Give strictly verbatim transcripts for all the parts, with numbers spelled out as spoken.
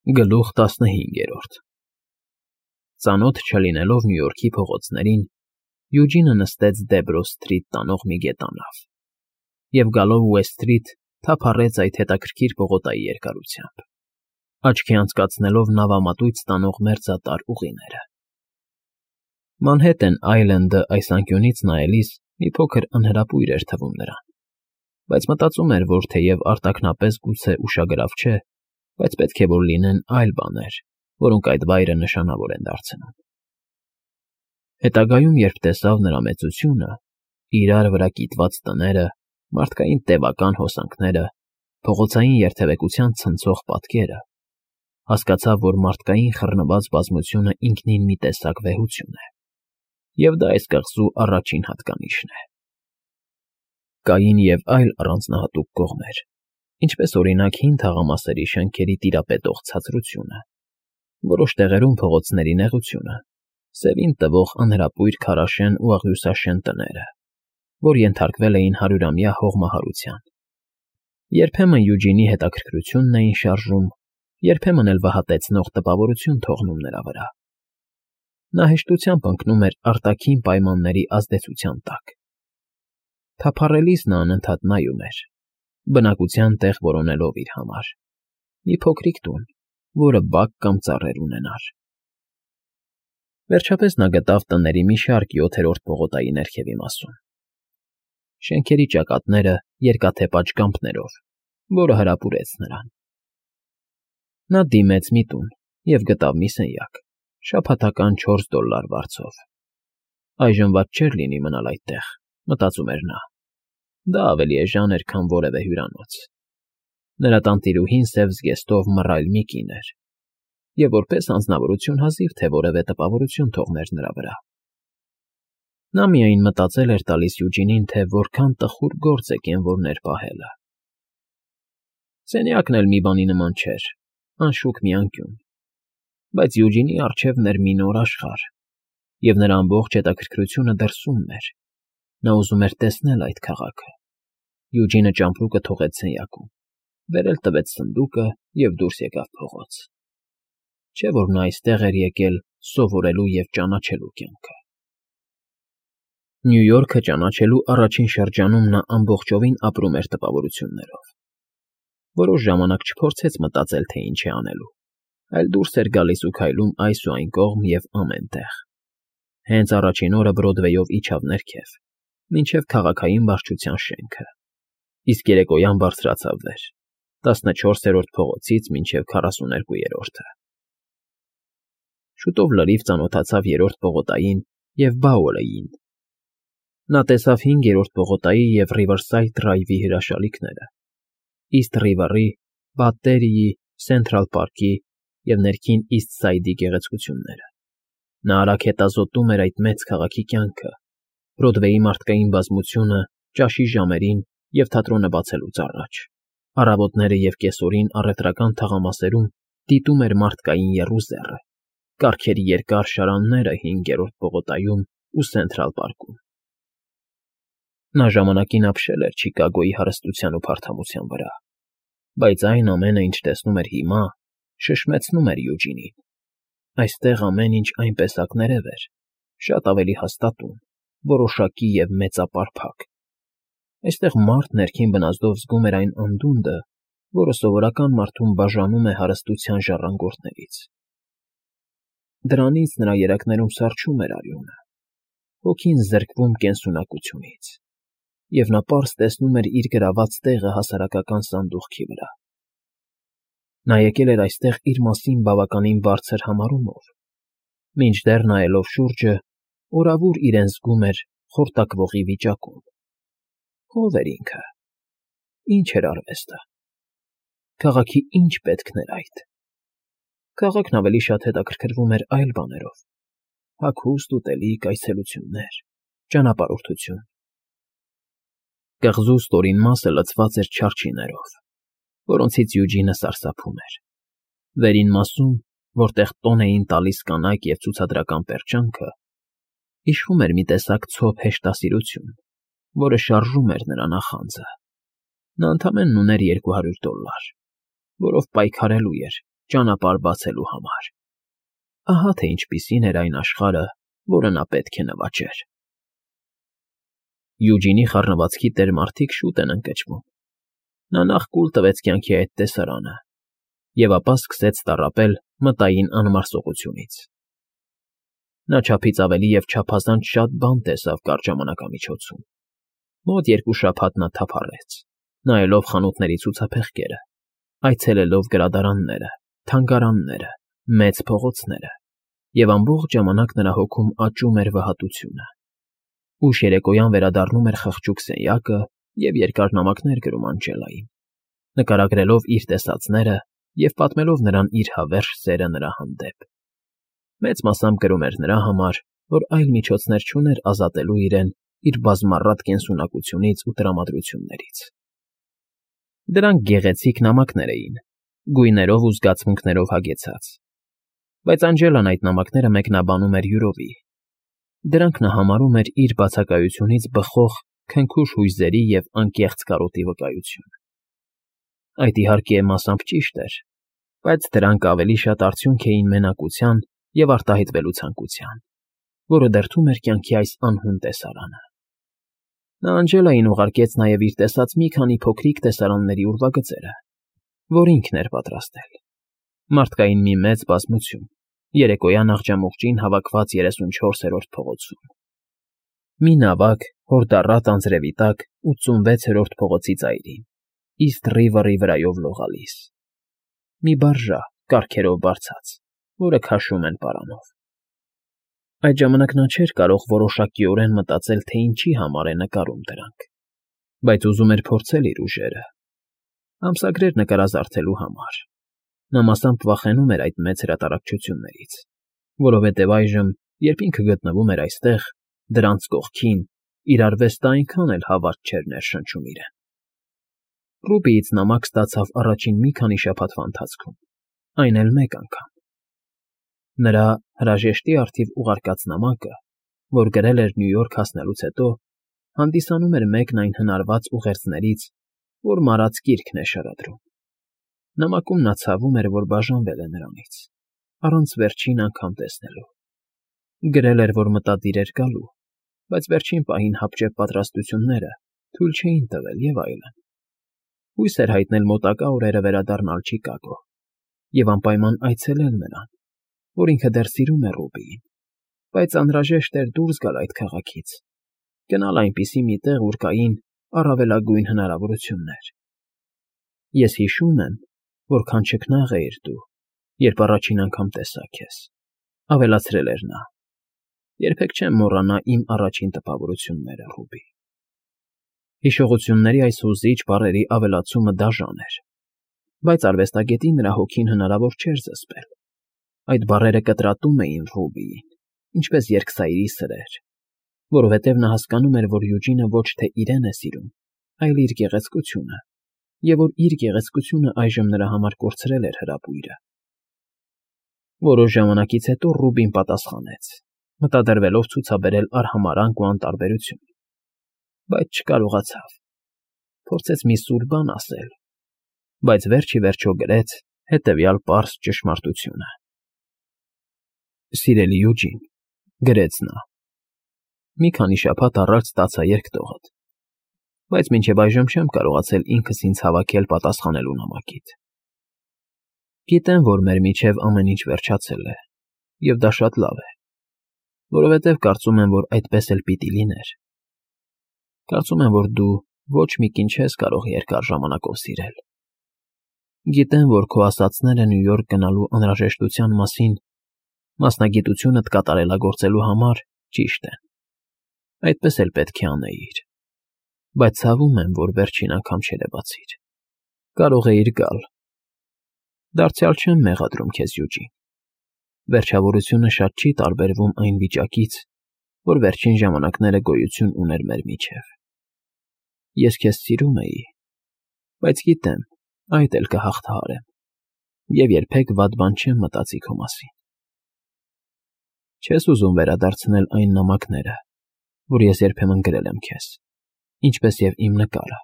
Գլուխ տասնհինգերորդ Ծանոթ չլինելով Նյու Յորքի փողոցներին, Յուջինը նստեց Դեբրոս Սթրիթ տանող մի գետանավ և, գալով Ուեսթ Սթրիթ, թափառեց այդ հետաքրքիր պողոտայի երկարությամբ, աչքի անցկացնելով նավամատույց տանող մերձատար ուղիները։ Մանհեթեն Այլենդը այս անկյունից նայելիս մի փոքր անհրապույր էր թվում նրան, բայց մտածում էր, որ թեև արտաքնապես գուցե ուշագրավ չէ, բայց պետք է որ լինեն այլ բաներ, որոնք այդ վայրը նշանավոր են դարձնում։ Հետագայում, երբ տեսավ նրա մեծությունը, իրար վրա կիտված տները, մարդկային տևական հոսանքները, փողոցային երթևեկության ցնցող պատկերը, հասկացավ, որ մարդկային խռնված բազմությունը ինքնին մի տեսակ վեհություն է, և դա այս կղզու առաջին հատկանիշն է։ Կային և այլ առանձնահատուկ կողմեր, ինչպես օրինակ հին թաղամասերի շենքերի տիրապետող ցածրությունը, որոշ տեղերում փողոցների նեղությունը, սևին տվող անհրապույր քարաշեն ու աղյուսաշեն տները, որ ենթարկվել էին հարյուրամյա հողմահարության։ Երբեմն Յուջինի հետաքրքրությունն էին շարժում, երբեմն էլ վհատեցնող տպավորություն թողնում նրա վրա։ Նա հեշտությամբ ընկնում էր արտաքին պայմանների ազդեցության տակ։ Թափառելիս նա անընդհատ նայում էր, բնակության տեղ որոնելով իր համար, մի փոքրիկ տուն, որը բակ կամ ծառեր ունենար։ Վերջապես նա գտավ տների մի շարք յոթերորդ պողոտայի ներքևի մասում։ Շենքերի ճակատները երկաթե պատշգամբներով, որը հարապուրեց նրան։ Նա դիմեց մի տուն և գտավ մի սենյակ, շաբաթական չորս դոլար վարձով։ Այժմ վատ չէր լինի մնալ այդտեղ, մտածում էր նա։ Դա ավելի էժան էր, քան որևէ հյուրանոց։ Նրա տանտիրուհին սև զգեստով մռայլ մի կին էր, և որպես անձնավորություն հազիվ թե որևէ տպավորություն թողներ նրա վրա։ Նա միայն մտածել էր տալիս Յուջինին, թե որքան տխուր գործ է կենվորներ պահելը։ Սենյակն էլ մի բանի նման չէր, անշուք մի անկյուն, բայց Յուջինի առջևն էր մի նոր աշխարհ, և նրա ամբողջ հետաքրքրությունը դրսումն էր։ Նա ուզում էր տեսնել այդ քաղաքը։ Յուջինը ճամպրուկը թողեց սենյակում, վերև տվեց սնդուկը և դուրս եկավ փողոց։ Չէ՞ որ նա այստեղ էր եկել սովորելու և ճանաչելու կյանքը։ Նյու Յորքը ճանաչելու առաջին շրջանում նա ամբողջովին ապրում էր տպավորություններով։ Որոշ ժամանակ չփորձեց մտածել, թե ինչ է անելու, այլ դուրս էր գալիս ու քայլում այս ու այն կողմ և ամեն տեղ։ Հենց առաջին օրը Բրոդվեյով իջավ ներքև, մինչև քաղաքային վարչության շենքը, իսկ երեկոյան բարձրացավ վեր, տասնչորսերորդ փողոցից մինչև քառասուներկուերորդը։ Շուտով լրիվ ծանոթացավ երրորդ պողոտային և Բաուերին։ Նա տեսավ հինգերորդ պողոտայի և Ռիվերսայդ Դրայվի հրաշալիքները, Իսթ Ռիվերի, Բատտերիի, Սենթրալ Պարկի և ներքին Իսթ Սայդի գեղեցկությունները։ Նա արագ հետազոտում էր այդ մեծ քաղաքի կյանքը, Բրոդվեյի մարդկային բազմությունը ճաշի ժամերին և թատրոնը բացելուց առաջ, առավոտները և կեսօրին առևտրական թաղամասերում դիտում էր մարդկային եռուզեռը, կառքերի երկար շարանները հինգերորդ պողոտայում ու Սենթրալ Պարկում։ Նա ժամանակին ապրել էր Չիկագոյի հարստության ու փարթամության վրա, բայց այն ամենը, ինչ տեսնում էր հիմա, շշմեցնում էր Յուջինին։ Այստեղ ամեն ինչ այնպես ակներև էր, շատ ավելի հաստատուն, որոշակի և մեծապարփակ։ Այստեղ մարդ ներքին բնազդով զգում էր այն անդունդը, որը սովորական մարդուն բաժանում է հարստության ժառանգորդներից։ Դրանից նրա երակներում սառչում էր արյունը, հոգին զրկվում կենսունակությունից, և նա պարզ տեսնում էր իր գրաված տեղը հասարակական սանդուղքի վրա։ Նա եկել էր այստեղ իր մասին բավականին բարձր համարումով, մինչդեռ, նայելով շուրջը, օրավուր իրեն զգում էր խորտակվողի վիճակում։ Ո՞վ էր ինքը։ Ի՞նչ էր արվեստը։ Քաղաքի ի՞նչ պետքն էր այդ։ Քաղաքն ավելի շատ հետաքրքրվում էր այլ բաներով. հագուստ, ուտելիք, այցելություններ, ճանապարհորդություն։ Կղզու ստորին մասը լցված էր չարչիներով, որոնցից Յուջինը սարսափում էր։ Վերին մասում, որտեղ տոն էին տալիս կանայք և ցուցադրական պերճանքը, իշխում էր մի տեսակ ցոփ հեշտասիրություն, որը շարժում էր նրա նախանձը։ Նա ընդամենն ուներ երկու հարյուր դոլար, որով պայքարելու էր, ճանապարհ բացելու համար։ Ահա թե ինչպիսին էր այն աշխարհը, որը նա պետք է նվաճեր։ Յուջինի խառնվածքի տեր մարդիկ շուտ են ընկճվում։ Նա նախ կուլ տվեց կյանքի այդ տեսարանը, և ապա սկսեց տառապել մտային անմարսողությունից։ Նա չափից ավելի և չափազանց շատ բան տեսավ կարճ ժամանակամիջոցում։ Մոտ երկու շաբաթ նա թափառեց, նայելով խանութների ցուցափեղկերը, այցելելով գրադարանները, թանգարանները, մեծ փողոցները, և ամբողջ ժամանակ նրա հոգում աճում էր վհատությունը։ Ուշ երեկոյան վերադառնում էր խղճուկ սենյակը և երկար նամակներ գրում Անջելային, նկարագրելով իր տեսածները և պատմելով նրան իր հավերժ սերը նրա հանդեպ։ Մեծ մասամբ գրում էր նրա համար, որ այլ միջոցներ չուներ ազատելու իրեն իր բազմառատ կենսունակությունից ու տրամադրություններից։ Դրանք գեղեցիկ նամակներ էին, գույներով ու զգացմունքներով հագեցած, բայց Անջելան այդ նամակները մեկնաբանում էր յուրովի։ Դրանք նա համարում էր իր բացակայությունից բխող քնքուշ հույզերի և անկեղծ կարոտի վկայություն։ Այդ, իհարկե, մասամբ ճիշտ էր, բայց դրանք ավելի շատ արդյունք էին մենակության և արտահայտվելու ցանկության, որը դրդում էր կյանքի այս անհուն տեսարանը։ Նա Անջելային ուղարկեց նաև իր տեսած մի քանի փոքրիկ տեսարանների ուրվագծերը, որ ինքն էր պատրաստել։ Մարդկային մի մեծ բազմություն, երեկոյան աղջամուղջին հավաքված երեսունչորսերորդ փողոցում։ Մի նավակ հորդառատ անձրևի տակ ութսունվեցերորդ փողոցի ծայրին, Իսթ Ռիվերի վրայով լողալիս։ Մի բարժա, կառքերով բարձած, որը քաշում են պարանով։ Այդ ժամանակ նա չէր կարող որոշակիորեն մտածել, թե ինչի համար է նկարում դրանք, բայց ուզում էր փորձել իր ուժերը։ Ամսագրեր նկարազարդելու համար։ Նա մասամբ վախենում էր այդ մեծ հրատարակչություններից, որովհետև այժմ, երբ ինքը գտնվում էր այստեղ, դրանց կողքին, իր արվեստը այնքան էլ հավատ չէր ներշնչում իրեն։ Ռուբիից նամակ ստացավ առաջին մի քանի շաբաթվա ընթացքում, այն էլ մեկ անգամ։ Նրա հրաժեշտի առթիվ ուղարկած նամակը, որ գրել էր Նյու Յորք հասնելուց հետո, հանդիսանում էր մեկն այն հնարված ուղերձներից, որ մարած կիրքն է շարադրում։ Նամակում նա ցավում էր, որ բաժանվել է նրանից, առանց վերջին անգամ տեսնելու։ Գրել էր, որ մտադիր էր գալու, բայց վերջին պահին հապճեպ պատրաստությունները թույլ չէին տվել և այլն։ Հույս էր հայտնել մոտակա օրերը վերադառնալ Չիկագո և անպայման այցելել նրան, որ ինքը դեռ սիրում է Ռուբիին, բայց անհրաժեշտ էր դուրս գալ այդ քաղաքից, գնալ այնպիսի մի տեղ, ուր կային առավելագույն հնարավորություններ։ Ես հիշում եմ, որքան չքնաղ էիր դու, երբ առաջին անգամ տեսա քեզ, ավելացրել էր նա։ Երբեք չեմ մոռանա իմ առաջին տպավորությունները, Ռուբի։ Հիշողությունների այս հուզիչ բառերի ավելացումը դաժան էր, բայց արվեստագետի նրա հոգին հնարավոր չէր զսպել։ Այդ բառերը կտրատում էին Ռուբիին, ինչպես երկսայրի սրեր, որովհետև նա հասկանում էր, որ Յուջինը ոչ թե իրեն է սիրում, այլ իր գեղեցկությունը, և որ իր գեղեցկությունը այժմ նրա համար կորցրել էր հրապույրը։ Որոշ ժամանակից հետո Ռուբին պատասխանեց, մտադրվելով ցուցաբերել արհամարհանք ու անտարբերություն, բայց չկարողացավ։ Փորձեց մի սուր բան ասել, բայց վերջ ի վերջո գրեց հետևյալ պարզ ճշմարտությունը. «Սիրելի Յուջին», գրեց նա, մի քանի շաբաթ առաջ ստացա երկտողդ, բայց մինչև այժմ չեմ կարողացել ինքս ինձ հավաքել պատասխանելու նամակիդ։ Գիտեմ, որ մեր միջև ամեն ինչ վերջացել է, և դա շատ լավ է, որովհետև կարծում եմ, որ այդպես էլ պիտի լիներ։ Կարծում եմ, որ դու ոչ մի կին չես կարող երկար ժամանակով սիրել։ Գիտեմ, որ քո ասածները Նյու Յորք գնալու անհրաժեշտության մասին մասնագիտությունդ կատարելագործելու համար ճիշտ են, այդպես էլ պետք է անեիր, բայց ցավում եմ, որ վերջին անգամ չերևացիր։ Կարող էիր գալ։ Դարձյալ չեմ մեղադրում քեզ, Յուջին։ Վերջավորությունը շատ չի տարբերվում այն վիճակից, որ վերջին ժամանակները գոյություն ուներ մեր միջև։ Ես քեզ սիրում էի, բայց գիտեմ, այդ էլ կհաղթահարեմ, և երբեք վատ բան չեմ մտածի քո մասին։ Չես ուզում վերադարձնել այն նամակները, որ ես երբեմն գրել եմ քեզ, ինչպես և իմ նկարը։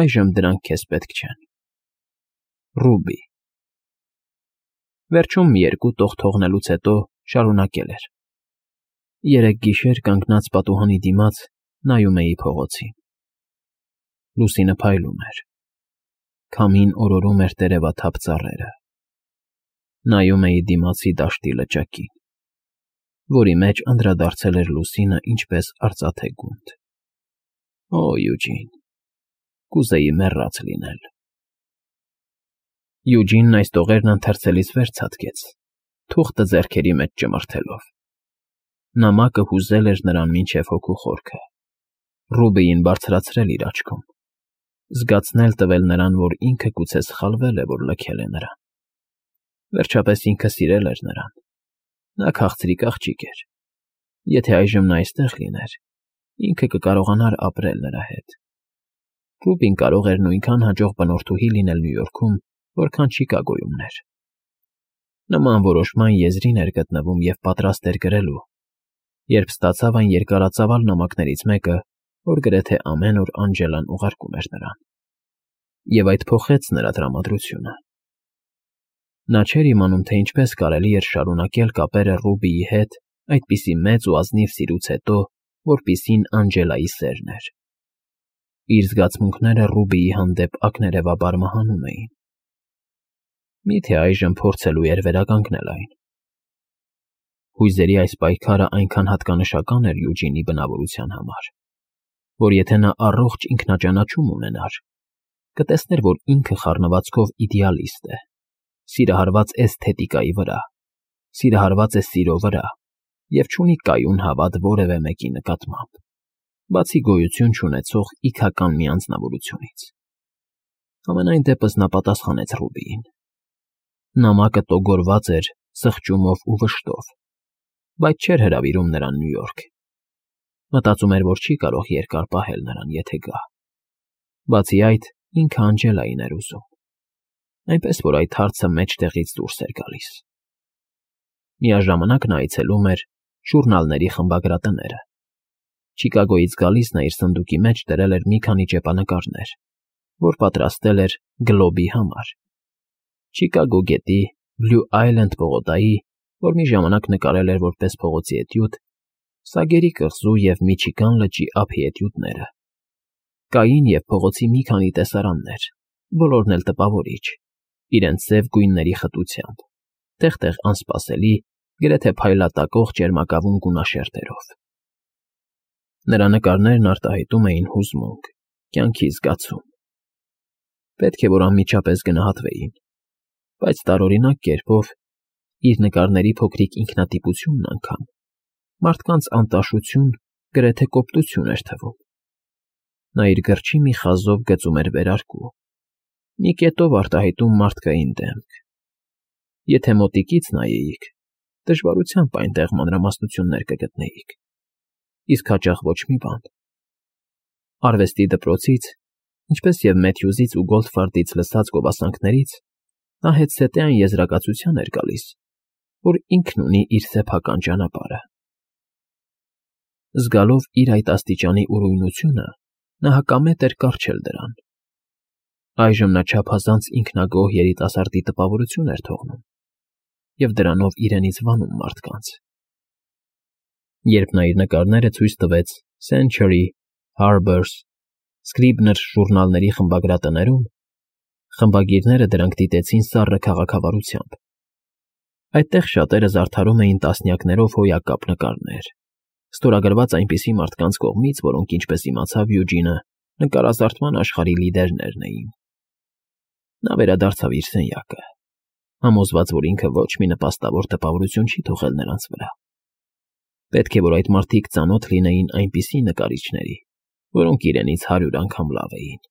Այժմ դրանք քեզ պետք չեն։ Ռուբի։ Վերջում մի երկու տող թողնելուց հետո շարունակել էր. Երեք գիշեր կանգնած պատուհանի դիմաց նայում էի փողոցին. Լուսինը փայլում էր, քամին օրորում էր տերևաթափ ծառերը, նայում էի դիմացի դաշտի լճակին, որի մեջ անդրադարձել էր լուսինը ինչպես արծաթե գունդ։ Օ, Յուջին, կուզեի մեռած լինել։ Յուջինն այս տողերն ընթերցելիս վեր ցատկեց, թուղթը ձեռքերի մեջ ճմրթելով։ Նամակը հուզել էր նրան մինչև հոգու խորքը, Ռուբիին բարձրացրել իր աչքում, զգացնել տվել նրան, որ ինքը գուցե սխալվել է, որ լքել է նրան։ Վերջապես ինքը սիրել էր նրան։ Նա քաղցրիկ աղջիկ էր։ Եթե այժմ նա այստեղ լիներ, ինքը կկարողանար ապրել նրա հետ։ Ռուբին կարող էր նույնքան հաջող բնորդուհի լինել Նյու Յորքում, որքան Չիկագոյում էր։ Նման որոշման եզրին էր գտնվում և պատրաստ էր գրելու, երբ ստացավ այն երկարածավալ նամակներից մեկը, որ գրեթե ամեն օր Անջելան ուղարկում էր նրան։ Եվ այդ փոխեց նրա տրամադրությունը։ Նա չէր իմանում, թե ինչպես կարելի էր շարունակել կապերը Ռուբիի հետ այդպիսի մեծ ու ազնիվ սիրուց հետո, որպիսին Անջելայի սերն էր։ Իր զգացմունքները Ռուբիի հանդեպ ակներևաբար մահանում էին։ Միթե այժմ փորձելու էր վերականգնել այն։ Հույզերի այս պայքարը այնքան հատկանշական էր Յուջինի բնավորության համար, որ եթե նա առողջ ինքնաճանաչում ունենար, կտեսներ, որ ինքը խառնվածքով իդեալիստ է, սիրահարված էսթետիկայի վրա, սիրահարված է սիրո վրա և չունի կայուն հավատ որևէ մեկի նկատմամբ, բացի գոյություն չունեցող իքական մի անձնավորությունից։ Համենայն դեպս նա պատասխանեց Ռուբիին։ Նամակը տոգորված էր սխճումով ու վշտով, բայց չէր հրավիրում նրան Նյու Յորք։ Մտածում էր, որ չի կարող երկար պահել նրան, եթե գա։ Բացի այդ, ինքը Անջելային էր ուզում, այնպես որ այդ հարցը մեջտեղից դուրս էր գալիս։ Միաժամանակ նա այցելում էր ժուրնալների խմբագրատները։ Չիկագոյից գալիս նա իր սնդուկի մեջ դրել էր մի քանի ճեպանկարներ, որ պատրաստել էր Գլոբի համար։ Չիկագո գետի, Բլյու Այլենդ պողոտայի, որ մի ժամանակ նկարել էր որպես փողոցի էտյուդ, Սագերի կղզու և Միչիգան լճի ափի էտյուդները։ Կային և փողոցի մի քանի տեսարաններ, բոլորն էլ տպավորիչ, իրենց սև գույնների խտությամբ, տեղ֊տեղ անսպասելի, գրեթե փայլատակող ճերմակավուն գունաշերտերով։ Նրա նկարներն արտահայտում էին հուզմունք, կյանքի զգացում։ Պետք է որ անմիջապես գնահատվեին, բայց տարօրինակ կերպով, իր նկարների փոքրիկ ինքնատիպությունն անգամ, մարդկանց անտաշություն, գրեթե կոպտություն էր թվում։ Նա իր գրչի մի խազով գծում էր վերարկու, մի կետով արտահայտում մարդկային դեմք։ Եթե մոտիկից նայեիք, դժվարությամբ այնտեղ մանրամասնություններ կգտնեիք, իսկ հաճախ ոչ մի բան։ Արվեստի դպրոցից, ինչպես և Մեթյուզից ու Գոլդֆարդից լսած գովասանքներից, նա հետզհետե այն եզրակացության էր գալիս, որ ինքն ունի իր սեփական ճանապարհը։ Զգալով իր այդ աստիճանի ուրույնությունը, նա հակամետ էր կառչել դրան։ Այժմ նա չափազանց ինքնագոհ երիտասարդի տպավորություն էր թողնում և դրանով իրենից վանում մարդկանց։ Երբ նա իր նկարները ցույց տվեց Century, Harper's, Scribner ժուրնալների խմբագրատներում, խմբագիրները դրանք դիտեցին սառը քաղաքավարությամբ։ Այդտեղ շատերը զարդարում էին տասնյակներով հոյակապ նկարներ, ստորագրված այնպիսի մարդկանց կողմից, որոնք, ինչպես իմացավ Յուջինը, նկարազարդման աշխարհի լիդերներն էին։ Նա վերադարձավ իր սենյակը, համոզված, որ ինքը ոչ մի նպաստավոր տպավորություն չի թողել նրանց վրա։ Պետք է որ այդ մարդիկ ծանոթ լինեին այնպիսի նկարիչների, որոնք իրենից հարյուր անգամ լավ էին։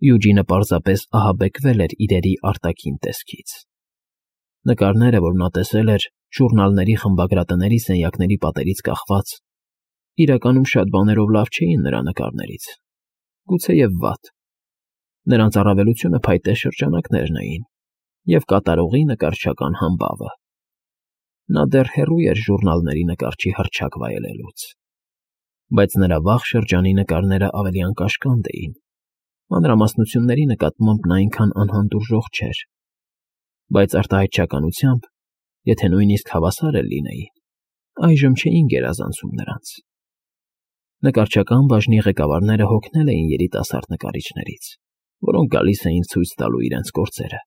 Յուջինը պարզապես ահաբեկվել էր իրերի արտաքին տեսքից։ Նկարները, որ նա տեսել էր ժուրնալների խմբագրատների սենյակների պատերից կախված, իրականում շատ բաներով լավ չէին նրա նկարներից, գուցեև վատ։ Նրանց առավելությունը փայտե շրջանակներն էին և կատարողի նկարչական համբավը։ Նա դեռ հեռու էր ժուրնալների նկարչի հռչակ վայելելուց, բայց նրա վաղ շրջանի նկարները ավելի անկաշկանդ էին, մանրամասնությունների նկատմամբ նա այնքան անհանդուրժող չէր։ Բայց արտահայտչականությամբ, եթե նույնիսկ հավասար էլ լինեին, այժմ չէին գերազանցում նրանց։ Նկարչական բաժնի ղեկավարները հոգնել էին երիտասարդ նկարիչներից, որոնք գալիս էին ցույց տալու իրենց գործերը։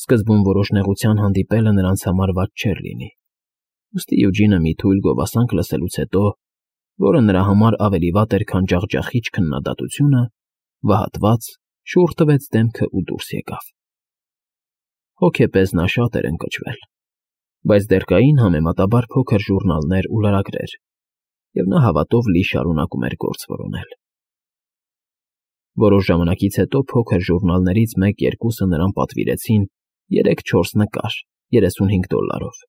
Սկզբում որոշ նեղության հանդիպելը նրանց համար վատ չէր լինի, ուստի Յուջինը մի թույլ գովասանք լսելուց հետո, որը նրա համար ավելի վատ էր, քան ջախջախիչ քննադատությունը, վհատված շուռ տվեց դեմքը ու դուրս եկավ։ Հոգեպես նա շատ էր ընկճվել, բայց դեռ կային համեմատաբար փոքր ժուռնալներ ու լրագրեր, և նա հավատով լի շարունակում էր գործ որոնել։ Որոշ ժամանակից հետո փոքր ժուռնալներից մեկ֊երկուսը նրան պատվիրեցին երեք֊չորս նկար երեսունհինգ դոլարով,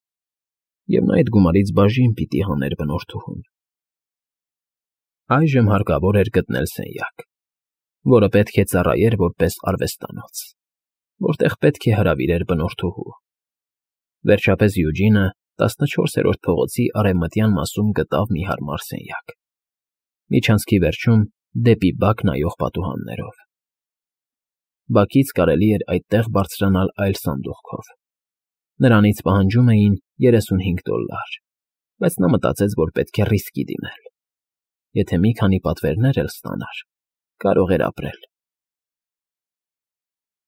և նա այդ գումարից բաժին պիտի հաներ բնորդուհուն։ Այժմ հարկավոր էր գտնել սենյակ, որը պետք է ծառայեր որպես արվեստանոց, որտեղ պետք է հրավիրեր բնորդուհու։ Վերջապես Յուջինը տասնչորսերորդ փողոցի արևմտյան մասում գտավ մի հարմար սենյակ, միջանցքի վերջում դեպի բակ նայող պատուհաններով։ Բակից կարելի էր այդտեղ բարձրանալ այլ սանդուղքով։ Նրանից պահանջում էին երեսունհինգ դոլար, բայց նա մտածեց, որ պետք է ռիսկի դիմել։ Եթե մի քանի պատվերներ էլ ստանար, կարող էր ապրել։